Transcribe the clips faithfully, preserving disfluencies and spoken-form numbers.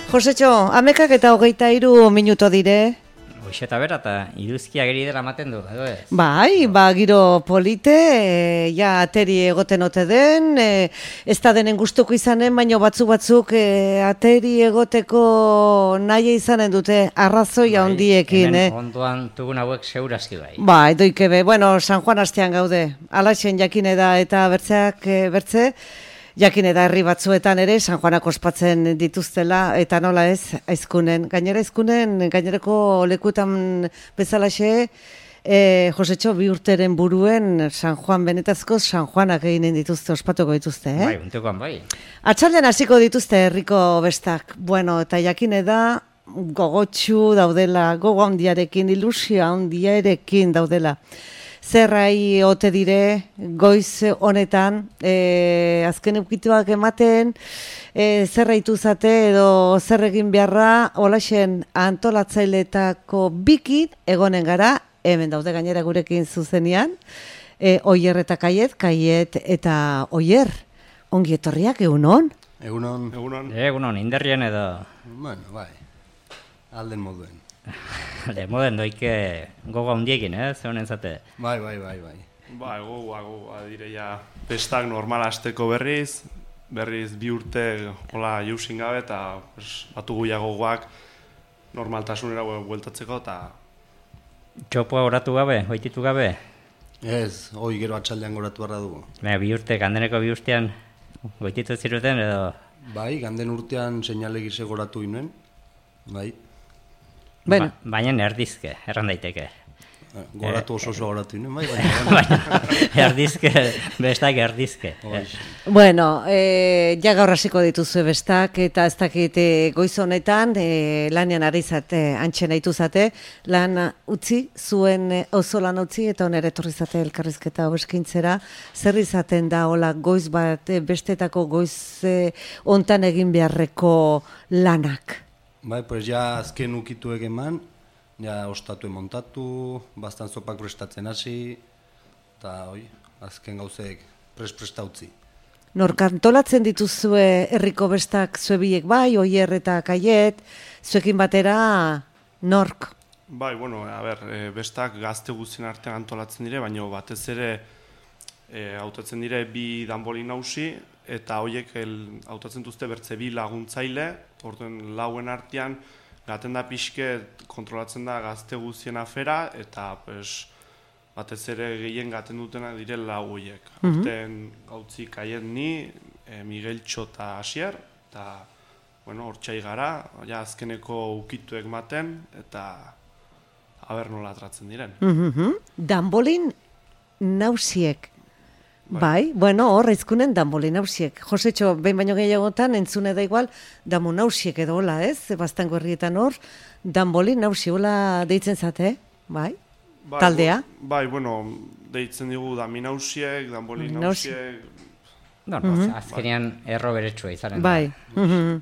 Josetxo, amekak eta hogeita hiru minuto dire. Hoxeta bera eta iruzkia geri dela maten du, edo ez? Bai, ba, giro polite, e, ja ateri egoten ote den, e, ez da denen gustuko izanen, baino batzu batzuk e, ateri egoteko nahi izanen dute arrazoi Bai, handiekin, hemen eh? ondoan tugun hauek segurazki bai. Bai, doikebe, bueno, San Juan astean gaude, alaxen jakine da eta bertzeak e, bertze, jakine da herri batzuetan ere San Juanak ospatzen dituztela eta nola ez aizkunen. Gainera aizkunen gainerako lekuetan bezalaxe e, Josetxo bi urteren buruen San Juan benetazko San Juanak eginen dituzte, ospatuko dituzte, eh? Bai, untekoan bai. Atxaldean hasiko dituzte herriko bestak. Bueno, eta jakine da gogotsu daudela, gogo handiarekin, ilusia handiarekin daudela. Zerrai ote dire, goiz honetan, e, azken eukituak ematen, e, zerraitu zate edo zer egin beharra, holaxen antolatzailetako bikin egonen gara, hemen daude gainera gurekin zuzenean, e, Oier eta Kaiet, Kaiet eta Oier, ongi etorriak egunon? Egunon. Egunon. Egunon, inderrien edo... Bueno, bai, alden moduen. Le moden doike gogo handiekin, eh, zeunen zate. Bai, bai, bai, bai. Ba, gogoa, gogoa dire ja festak normal hasteko berriz, berriz bi urte hola jausin gabe eta pues, batugu ja gogoak normaltasunera bueltatzeko eta... Txopoa oratu gabe, hoititu gabe? Ez, hoi gero atxaldean goratu barra dugu. Baina bi urte, gandeneko bi urtean goititu ziruten edo... Bai, ganden urtean seinale gise goratu ginen, bai. Bueno. Ba, baina erdizke, erran daiteke. Goratu oso oso goratu ginen, bai, baina... erdizke, bestak erdizke. Bueno, e, ja gaur hasiko dituzue bestak, eta ez dakit e, goiz honetan, e, lanean ari zate, antxen aitu zate, lan utzi, zuen e, oso lan utzi, eta onere etorri zate elkarrizketa hobeskintzera, zer izaten da, hola, goiz bat, e, bestetako goiz e, ontan egin beharreko lanak? Bai, pues ja azken ukitu egeman, ja ostatu emontatu, bastan zopak prestatzen hasi, eta hoi, azken gauzek pres-prestautzi. Nork antolatzen dituzue herriko bestak zuebiek bai, Oier eta Kaiet, zuekin batera nork? Bai, bueno, a ber, e, bestak gazte guztien artean antolatzen dire, baina batez ere e, hautatzen dire bi danboli nausi, eta hoiek hautatzen duzte bertze bi laguntzaile, orduen lauen artean gaten da pixke kontrolatzen da gazte guztien afera, eta pues, batez ere gehien gaten dutena dire lau hoiek. Mm -hmm. Horten gautzi Kaiet ni, e, Migueltxo eta Asier, eta bueno, hortxai gara, ja azkeneko ukituek maten, eta aber nola atratzen diren. Mm -hmm. Danbolin nausiek. Bai, bai, bueno, hor, aizkunen danboli nausiek. Josetxo, behin baino gehiagotan, entzune da igual, damu nausiek edo hola, ez? Bastango herrietan hor, danboli nausi, hola deitzen zate, bai? Bai, taldea? Bai, bueno, deitzen digu dami nausiek, danboli nausiek... No, no, mm -hmm. azkenean erro beretsua izanen da. Bai, mm -hmm.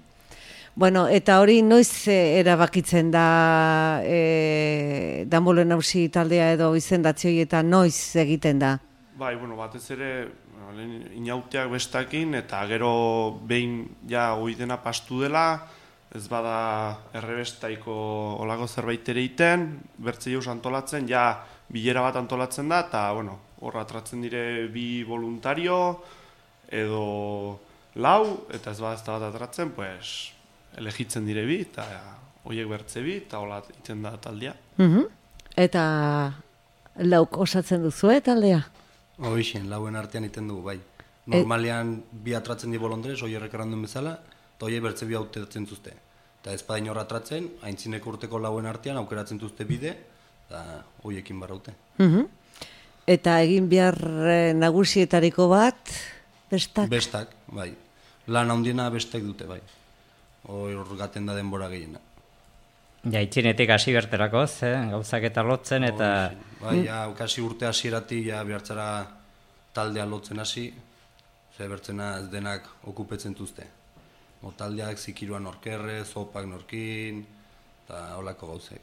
Bueno, eta hori noiz erabakitzen da e, danboli nausi taldea edo izendatzioi eta noiz egiten da? Bai, bueno, batez ere inauteak bestakin eta gero behin ja oidena pastu dela, ez bada errebestaiko olako zerbait ere iten, bertze jauz antolatzen, ja bilera bat antolatzen da, eta bueno, hor atratzen dire bi voluntario edo lau, eta ez bada ez da bat atratzen, pues, elegitzen dire bi, eta hoiek bertze bi, eta hola iten da taldea. Mm-hmm. Eta lauk osatzen duzue taldea? Hoixen, lauen artean iten dugu, bai. Normalean bi atratzen di bolondrez, Oierrek errandun bezala, eta hoiek bertze bi auteratzen zuzte. Eta ez badain hor atratzen, aintzineko urteko lauen artean aukeratzen zuzte bide, eta hoiekin barraute. Mm-hmm. Eta egin behar nagusietariko bat, bestak? Bestak, bai. Lan handiena bestek dute, bai. Hor gaten da denbora gehiena. Ja, itxinetik hasi berterakoz, eh? Gauzak eta lotzen, eta... Oh, bai, ja, kasi urte hasieratik ja behartzara taldea lotzen hasi, ze bertzena ez denak okupetzen duzte. O taldeak zikiruan norkerre, zopak norkin, eta holako gauzek.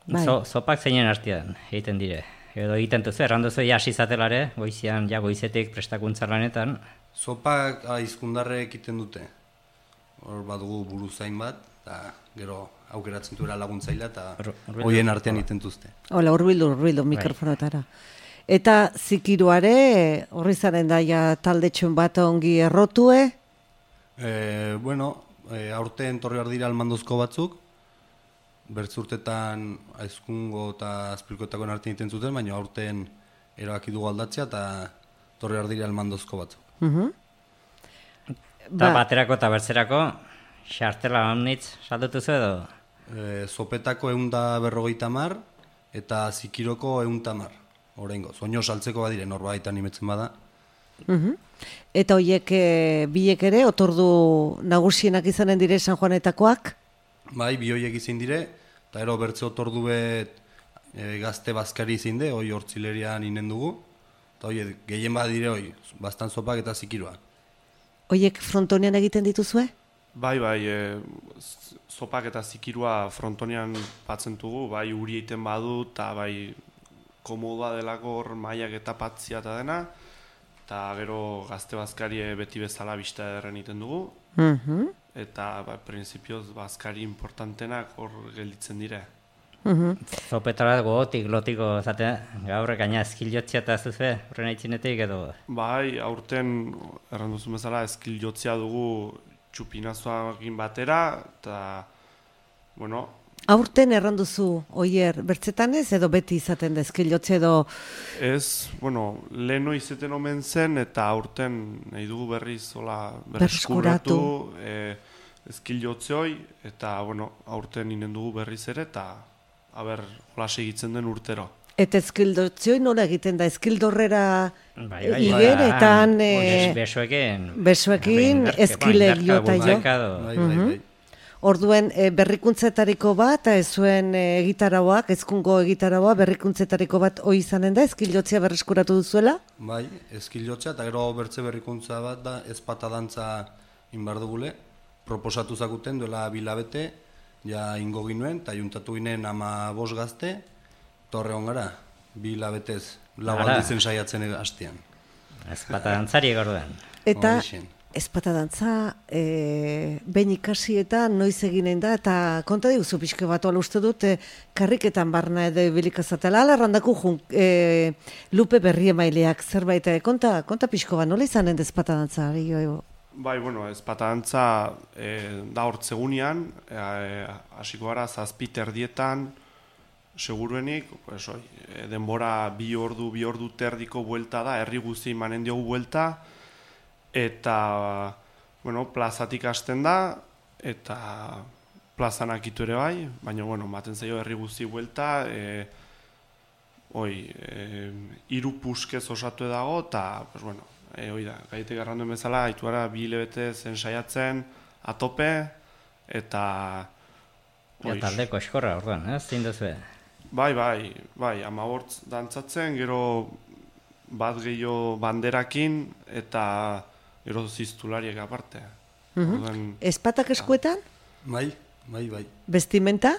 Bai. So, zopak zeinen artean egiten dire. Edo egiten duzu, erranduzu ja hasi zatelare, goizian, ja goizetik prestakuntza lanetan. Zopak aizkundarrek egiten dute. Hor badugu buruzain bat, eta gero aukeratzen duela laguntzailea, eta Ur- hurbildu. hoien artean itentuzte. Hola, urbildu, urbildu mikrofonotara. Eta zikiruare, horri zaren daia taldetxun bat ongi errotue? E, bueno, e, aurten torri behar dira almandozko batzuk, bertzurtetan aizkungo eta azpilkoetakoen artean iten zuten, baina aurten erabaki dugu aldatzea eta torri behar dira almandozko batzuk. Uh Eta baterako eta bertzerako, xartela omnitz saldutuzu edo? E, zopetako egun da berrogeita mar, eta zikiroko egun tamar, horrengo. Soño saltzeko badire, norbait animetzen bada. Eta hoiek e, biek ere, otordu nagusienak izanen dire San Juanetakoak? Bai, bi hoiek izin dire, eta ero bertze otordu bet e, gazte bazkari izin de, hoi hortzilerian inen dugu, eta hoi gehien badire hoi, bastan zopak eta zikiroa. Hoiek frontonean egiten dituzue? Bai, bai, e, z- zopak eta zikirua frontonean batzen dugu, bai uri egiten badu, eta bai komodoa delako hor mailak eta patzia eta dena, eta gero gazte bazkari beti bezala bista ederren egiten dugu, Mhm. eta ba, prinsipioz bazkari importantenak hor gelditzen dire. Zopetara gogotik, lotiko, zate, gaur gaina eskiljotzia eta zuze, horren aitzinetik edo? Bai, aurten erranduzu bezala eskil jotzea dugu txupinazoakin batera, eta, bueno, Aurten erranduzu, oier, bertzetan ez, edo beti izaten da eskilotze edo... ez, bueno, leheno izeten omen zen, eta aurten nahi dugu berriz hola Berreskuratu. berreskuratu e, eskil jotze hoi, eta, bueno, aurten inen dugu berriz ere, eta, haber, hola segitzen den urtero. Eta eskildotzioi nola egiten da, eskildorrera Bai, bai, igen, bai. eta han Bes- e, besoekin. besoekin, Indarke, eskile bueno, jota indarka, jo. bultzaka edo. Bai, bai, bai. Orduen e, berrikuntzetariko bat, ez zuen e, egitarauak, ezkungo egitaraua, berrikuntzetariko bat hoi izanen da, eskilotzea berreskuratu duzuela? Bai, eskilotza eta gero bertze berrikuntza bat da ezpata dantza inbar dugule. Proposatu zakuten duela bilabete, ja ingo ginuen, eta juntatu ginen ama bost gazte, torre gara, bilabetez, lau Ara. aldizen saiatzen hastean. Ezpata dantzari egorduan. Eta Horixen. ezpata dantza, e, behin ikasi eta noiz eginen da, eta konta diguzu pixke bat, ola uste dut, e, karriketan barna edo bilikazatela, ala errandaku jun, e, lupe berri emaileak zerbait, e, konta, konta pixko bat, nola izanen da ezpata dantza? Ari, jo, Bai, bueno, ezpata dantza e, da hortzegunean, e, hasiko gara zazpi terdietan, seguruenik, pues, oi, e, denbora bi ordu, bi ordu terdiko buelta da, herri guzti manen diogu buelta, eta, bueno, plazatik hasten da, eta plazan akitu ere bai, baina, bueno, maten zaio herri guzti buelta, e, oi, e, hiru puskez osatu dago, eta, pues, bueno, e, oi da, gaitek erranduen bezala, haituara bi hilabete zen saiatzen, atope, eta... Ja, taldeko eskorra orduan, ez? Zein duzue? Bai, bai, bai, amabort dantzatzen, gero bat gehiago banderakin, eta gero ziztulariek aparte. Orduan, ezpatak eskuetan, Bai, bai, bai. bestimenta,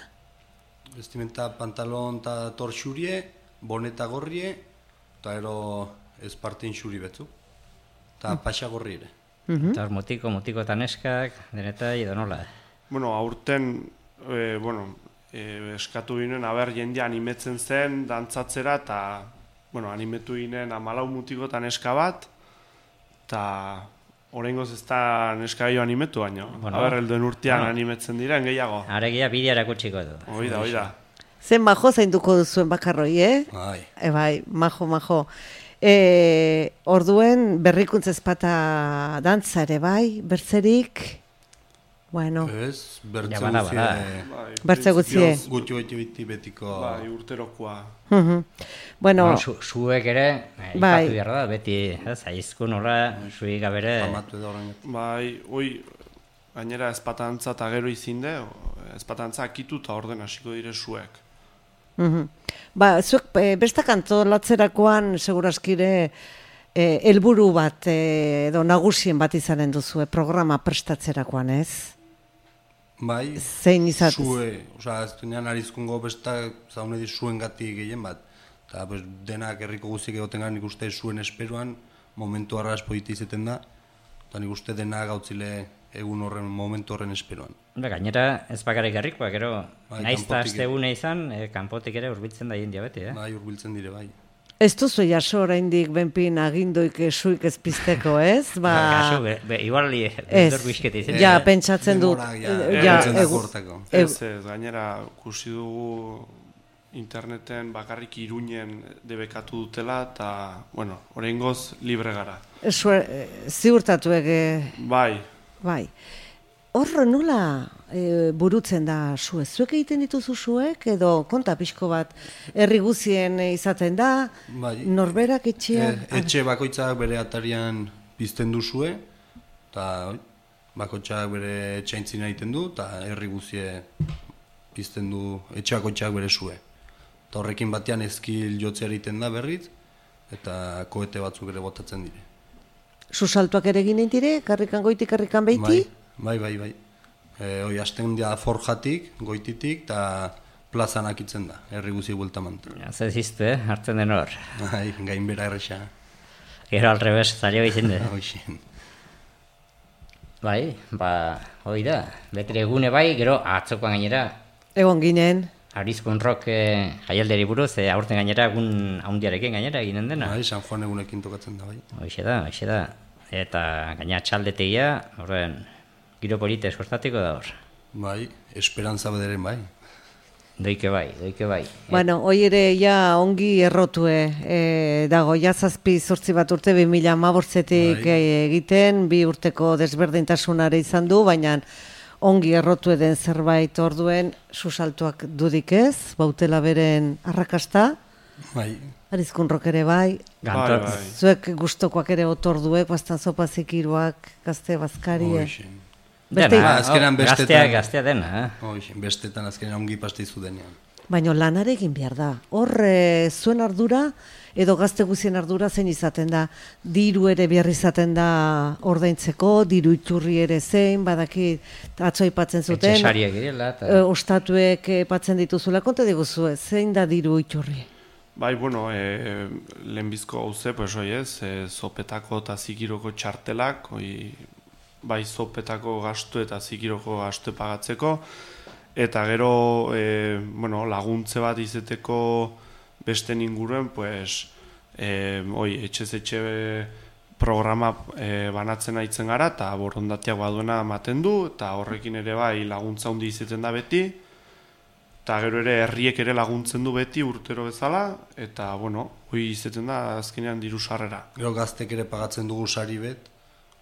Vestimenta pantalon eta torxurie, boneta gorrie, eta ero espartin xuri betzu. Eta paxa gorri ere. Eta hor mutiko, mutiko eta neskak, denetai edo nola. bueno, aurten, e, bueno, e, eskatu ginen, aber jende animetzen zen, dantzatzera, eta, bueno, animetu ginen amalau mutiko eta neska bat, eta oraingoz ez da neska gehiago animetu, baina, Bueno, aber helduen urtean bueno. animetzen diren gehiago. Aregia bidea erakutsiko du. Hoi da, hoi da. zen majo zainduko duzuen bakarroi, eh? Bai. E, bai, majo, majo. E, orduen berrikuntza ezpata dantza ere, bai, bertzerik, bueno, Ez, bertze Ja, bada, guzie, bada. Bai, Bertze guzie. printzipioz, gutxi gutxi biti betiko... Bai, urterokoa. mhm. bueno, Bueno, su, suek ere, eh, Bai. ipatu behar da, beti, ez, aizku nola, suik gabere, Famatu edo horren. Bai, hoi, gainera ezpatantza eta gero izinde, ezpatantza akitu eta orden hasiko dire zuek. mhm. ba, zuek e, bestak antolatzerakoan seguraskire e, helburu bat e, edo nagusien bat izanen duzue programa prestatzerakoan, ez? Bai, Zein izatez? Sue, osea, ez duenean arizkungo bestak zaune di zuen gati gehien bat. Eta pues, denak herriko guztiek egoten gara nik uste zuen esperoan, momentu arras politi izeten da. Eta nik uste denak gautzile egun horren, momentu horren esperoan. Ba, gainera ez bakarrik herrikoa, gero Bai, naiz eta kanpotik astegune izan, e, kanpotik ere hurbiltzen da jendia beti, eh? Bai, hurbiltzen dire bai. Ez duzu jaso oraindik benpin aginduik suik ez pizteko, ez? Ba, Kasu, be, be, igual li, ez, dor bizkete izan. ja, pentsatzen dut. Denbora, ja, eh, ja, hurbiltzen da egu- hortako. Ez, ez, gainera, ikusi dugu interneten bakarrik Iruñen debekatu dutela, eta, bueno, oraingoz libre gara. Esue, eh, ziurtatuek, eh, Bai, bai. Hor nola e, burutzen da zuek? Zuek egiten dituzu zuek, edo konta pixko bat herri guzien izaten da, Bai. norberak etxean... E, etxe bakoitzak bere atarian pizten duzue, eta oi, bakoitzak bere etxaintzina egiten du, eta herri guzie pizten du etxe bakoitzak bere zue. Eta horrekin batean ezkil jotzea egiten da berriz, eta koete batzuk ere botatzen dire. Susaltuak ere egin dire, karrikan goitik, karrikan beiti? Bai, bai, bai. E, oi, asten dia forjatik, goititik, eta plazan akitzen da, herri guzi bueltamant. Ja, zer ziztu, eh? Hartzen den hor. Bai, gainbera erresa. Gero al revés, zailo izan de. Hoxen. Bai, ba, hoi da. Betri egune bai, gero atzokoan gainera, Egon ginen, Arizkun rock e, jaialderi buruz, e, aurten gainera egun haundiarekin gainera eginen dena. Bai, San Juan egunekin tokatzen da, bai. Hoxe da, hoxe da. Eta gaina txaldetegia, horren, giro polite eskortatiko da hor. Bai, esperantza bederen, bai. Doike bai, doike bai. bueno, hoi ere ja ongi errotue e, dago, ja zazpi zortzi bat urte bi mila hamabostetik Bai. egiten, bi urteko desberdintasunare izan du, baina ongi errotu den zerbait orduen susaltuak dudik ez, bautela beren arrakasta, Bai, Arizkun rock ere bai, Gantor, Bai, bai. zuek gustokoak ere otorduek, bastan zopazik iruak, gazte bazkarie. hoxen. Beste- Dena, Ah, azkenean oh, bestetan- gaztea, gaztea dena, eh? Hoxen, bestetan azkenean ongi pasteizu denean. Baina lanare egin behar da. Hor e, zuen ardura edo gazte guzien ardura zein izaten da. Diru ere behar izaten da ordaintzeko, diru iturri ere zein, badaki atzo aipatzen zuten. Etxesariak direla, eta... e, ostatuek aipatzen dituzula, konta diguzue, zein da diru iturri? bai, bueno, e, lehenbizko hauze, pues, oi ez, e, zopetako eta zikiroko txartelak, oi, bai zopetako gastu eta zikiroko gastu pagatzeko, eta gero, e, bueno, laguntze bat izeteko beste inguruen, pues, e, oi, etxez etxe programa e, banatzen aitzen gara, eta borondateak baduena ematen du, eta horrekin ere bai laguntza handi izeten da beti, eta gero ere herriek ere laguntzen du beti urtero bezala, eta, bueno, hoi izeten da azkenean diru sarrera. Gero gaztek ere pagatzen dugu sari bet,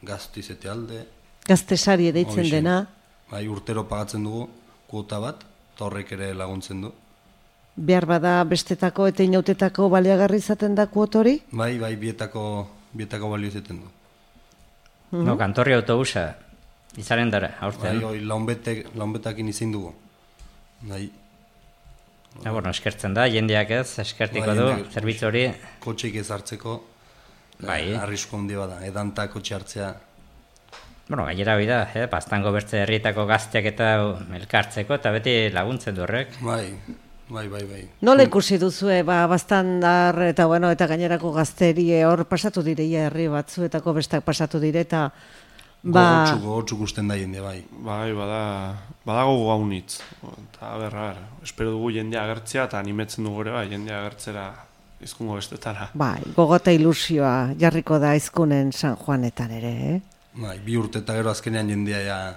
gaztu izete alde. Gazte sari deitzen Hoxe. dena, Bai, urtero pagatzen dugu kuota bat, eta horrek ere laguntzen du. behar bada bestetako eta inautetako baliagarri izaten da kuotori? Bai, bai, bietako, bietako balio izaten du. No, kantorri autobusa, izaren dara, aurten. Bai, oi, launbetek, launbetakin izin dugu. Bai, Ja, bueno, eskertzen da, jendeak ez, eskertiko Bai, du, jendeak- zerbitzu hori, kotxeik ez hartzeko, Bai. eh, arrisku handi bada, edanta kotxe hartzea. bueno, gainera hori da, eh, Baztango bertze herrietako gazteak eta elkartzeko, eta beti laguntzen du horrek. Bai, bai, bai, bai. Nola ikusi duzue, ba, bastandar eta bueno, eta gainerako gazterie hor pasatu direia herri batzuetako bestak pasatu dire eta ba, Gogotsu, gogotsu gusten da jende, bai. Bai, bada, badago gaunitz. Eta, ber, ber, espero dugu jendea agertzea, eta animetzen dugu ere, bai, jendea agertzera izkungo bestetara. bai, gogota ilusioa jarriko da izkunen San Juanetan ere, eh? Bai, bi urte eta gero azkenean jendea ja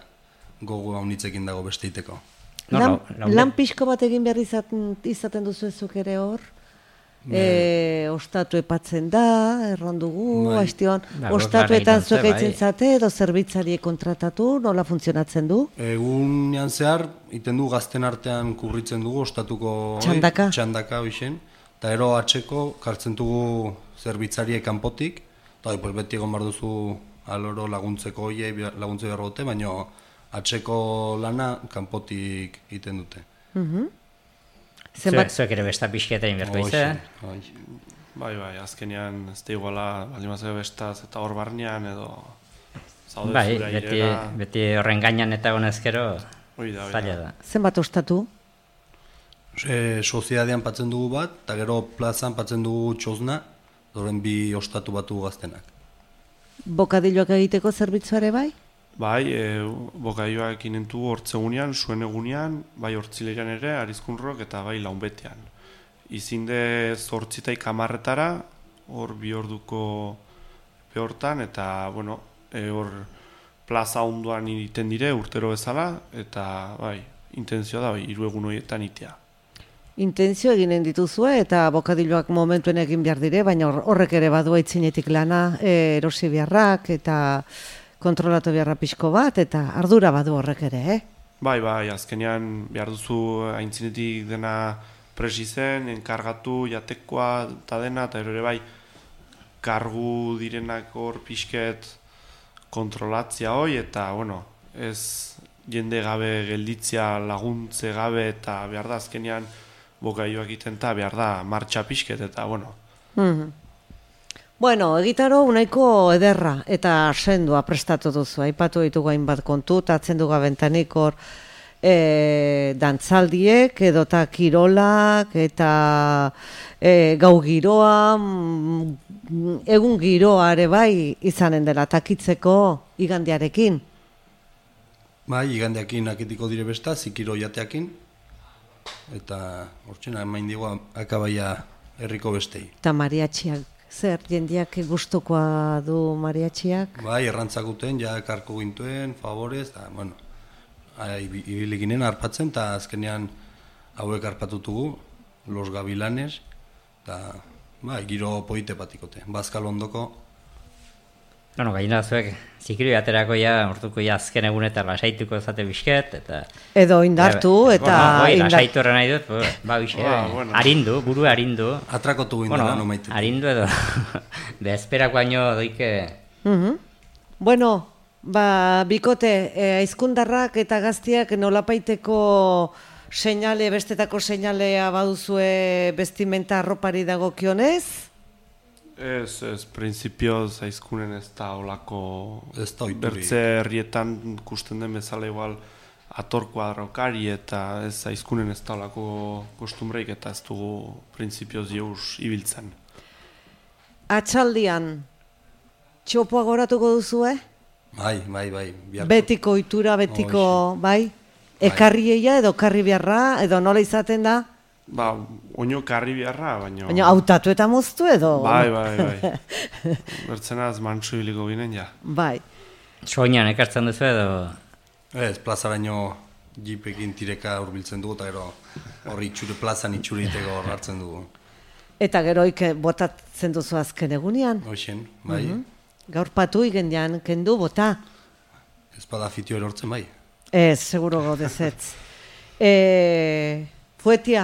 gogo haunitzekin dago besteiteko. No, lan, lau- lau- lan pixko bat egin behar izaten, izaten duzu ezuk ere hor? E, ostatu epatzen da, errondugu, Bai. aiztion, Ba, ostatuetan gozgarri zuek bai. eitzen zate edo zerbitzari kontratatu, nola funtzionatzen du? Egunean zehar, iten du gazten artean kurritzen dugu, ostatuko... oi, Txandaka. Txandaka, hoixen. Eta ero atxeko, kartzen dugu zerbitzariek kanpotik, eta hoi, pues, beti egon behar duzu aloro laguntzeko hoiei laguntze behar dute, baina atxeko lana kanpotik egiten dute. Zuek, zuek ere besta pixketa inberko Hoxe, izan. hoxe. Bai, bai, azkenean ez da iguala, baldin bazeo bestaz eta hor barnean edo zaude Bai, zure beti, airera, beti horren gainan eta gonezkero, hoi da, hoi zaila da. da. Zenbat ostatu? E, soziadean patzen dugu bat, eta gero plazan patzen dugu txosna, doren bi ostatu batu gaztenak. Bokadilloak egiteko zerbitzuare bai? Bai, e, bokaioak inentu hortzegunean, suen egunean, bai hortzilean ere, arizkunrok eta bai launbetean. Izinde zortzitaik hamarretara, hor bi orduko behortan, eta, bueno, e, hor plaza onduan iten dire urtero bezala, eta, bai, intentzioa da, bai, hiru egun horietan itea. Intentzio eginen dituzue eta bokadiloak momentuen egin behar dire, baina horrek ere badu aitzinetik lana, e, erosi beharrak eta kontrolatu beharra pixko bat, eta ardura badu horrek ere, eh? Bai, bai, azkenean behar duzu aintzinetik dena presi zen, enkargatu, jatekoa eta dena, eta ere bai, kargu direnak hor pixket kontrolatzia hoi, eta, bueno, ez jende gabe gelditzia laguntze gabe, eta behar da azkenean bokaioak iten eta behar da martxa pixket, eta, bueno. Mm-hmm. Bueno, egitaro unaiko ederra eta sendua prestatu duzu. Aipatu ditugu hainbat kontu, tatzen du gabentanik hor e, dantzaldiek, edota kirolak, eta e, gau giroa, mm, egun giroa ere bai izanen dela takitzeko igandiarekin. Bai, igandeakin akitiko dire besta, zikiro jateakin, eta hortxena emain digu akabaia herriko bestei. Eta mariatxiak. Zer, jendiak gustukoa du mariatxiak? Bai, errantzakuten, ja karko gintuen, favorez, eta, bueno, ibili ginen arpatzen, eta azkenean hauek arpatutugu, Los Gavilanes, eta, bai, giro poite patikote, Bazkal ondoko. Bueno, gaina zuek, zikiri aterako ja, orduko ja azken egunetan lasaituko zate bisket, eta... Edo indartu, eta... Bueno, oi, lasaitu horren nahi dut, ba, bixe, Ah, bueno. harindu, buru harindu. Atrakotu ginen Bueno, no maite. harindu edo, bezperako baino doike... Mhm. Bueno, ba, bikote, eh, aizkundarrak eta gaztiak nolapaiteko seinale, bestetako seinalea baduzue bestimenta arropari dagokionez? Ez, ez, prinsipioz aizkunen ez da olako... Ez da oituri. Bertze herrietan kusten den bezala igual ator kuadrokari eta ez aizkunen ez da olako kostumbreik eta ez dugu prinsipioz jeuz ibiltzen. Atxaldian, txopoa goratuko duzue? Bai, bai, bai. biharko. Betiko ohitura, betiko, bai? Ekarrieia edo karri beharra, edo nola izaten da? Ba, oino karri beharra, baina... Baina hautatu eta moztu edo? Bai, bai, bai. Bertzenaz mantsu ibiliko ginen ja. Bai. Soinan ekartzen duzu edo... Ez, plazaraino jipekin tireka hurbiltzen dugu, eta gero horri itxure plazan itxuriteko hor hartzen dugu. Eta geroik botatzen duzu azken egunean? Hoxen, bai. Mhm. Gaur patu igendean kendu bota? Ez bada fitio erortzen bai. Ez, seguro godezetz. e, fuetia,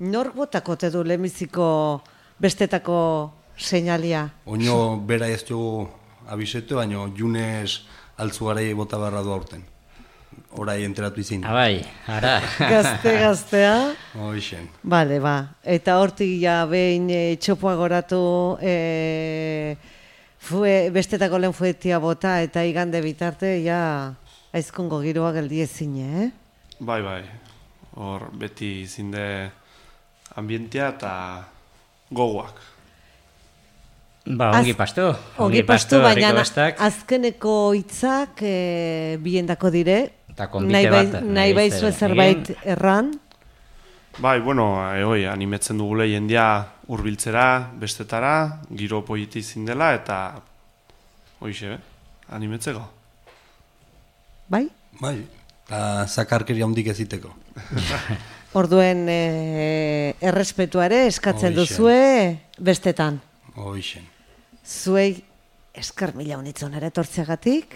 nork botako te du lemiziko bestetako seinalia? Oino bera ez dugu abisetu, baina junez altzugarei bota beharra du aurten. Orai enteratu izin. Abai, ara. Gazte, gaztea. Hoxen. Bale, ba. Eta hortik ja behin e, txopoa goratu e, fue, bestetako lehen fuetia bota eta igande bitarte ja aizkungo giroa geldi ezin, eh? Bai, bai. Hor beti zinde ambientea eta gogoak. Ba, ongi pastu. Ongi pastu, baina herriko bestak. azkeneko hitzak e, biendako dire. Eta konbite Nahi bai- bat, Nahi nahi baizu zer zerbait egin. erran. Bai, bueno, e, oi, animetzen dugule jendia hurbiltzera, bestetara, giro politi zindela eta hoixe, animetzeko. Bai? Bai, eta zakarkeria handik eziteko. Orduen e, errespetuare eskatzen Hoxe. duzue bestetan. Hoxen. Zuei esker mila unitzon ere tortzeagatik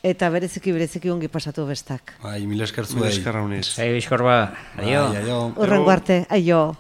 eta bereziki bereziki ongi pasatu bestak. Bai, mil esker Mila zuei. eskerra uniz. Sei bizkorba, adio. Bai, aio. Urrengo arte, aio.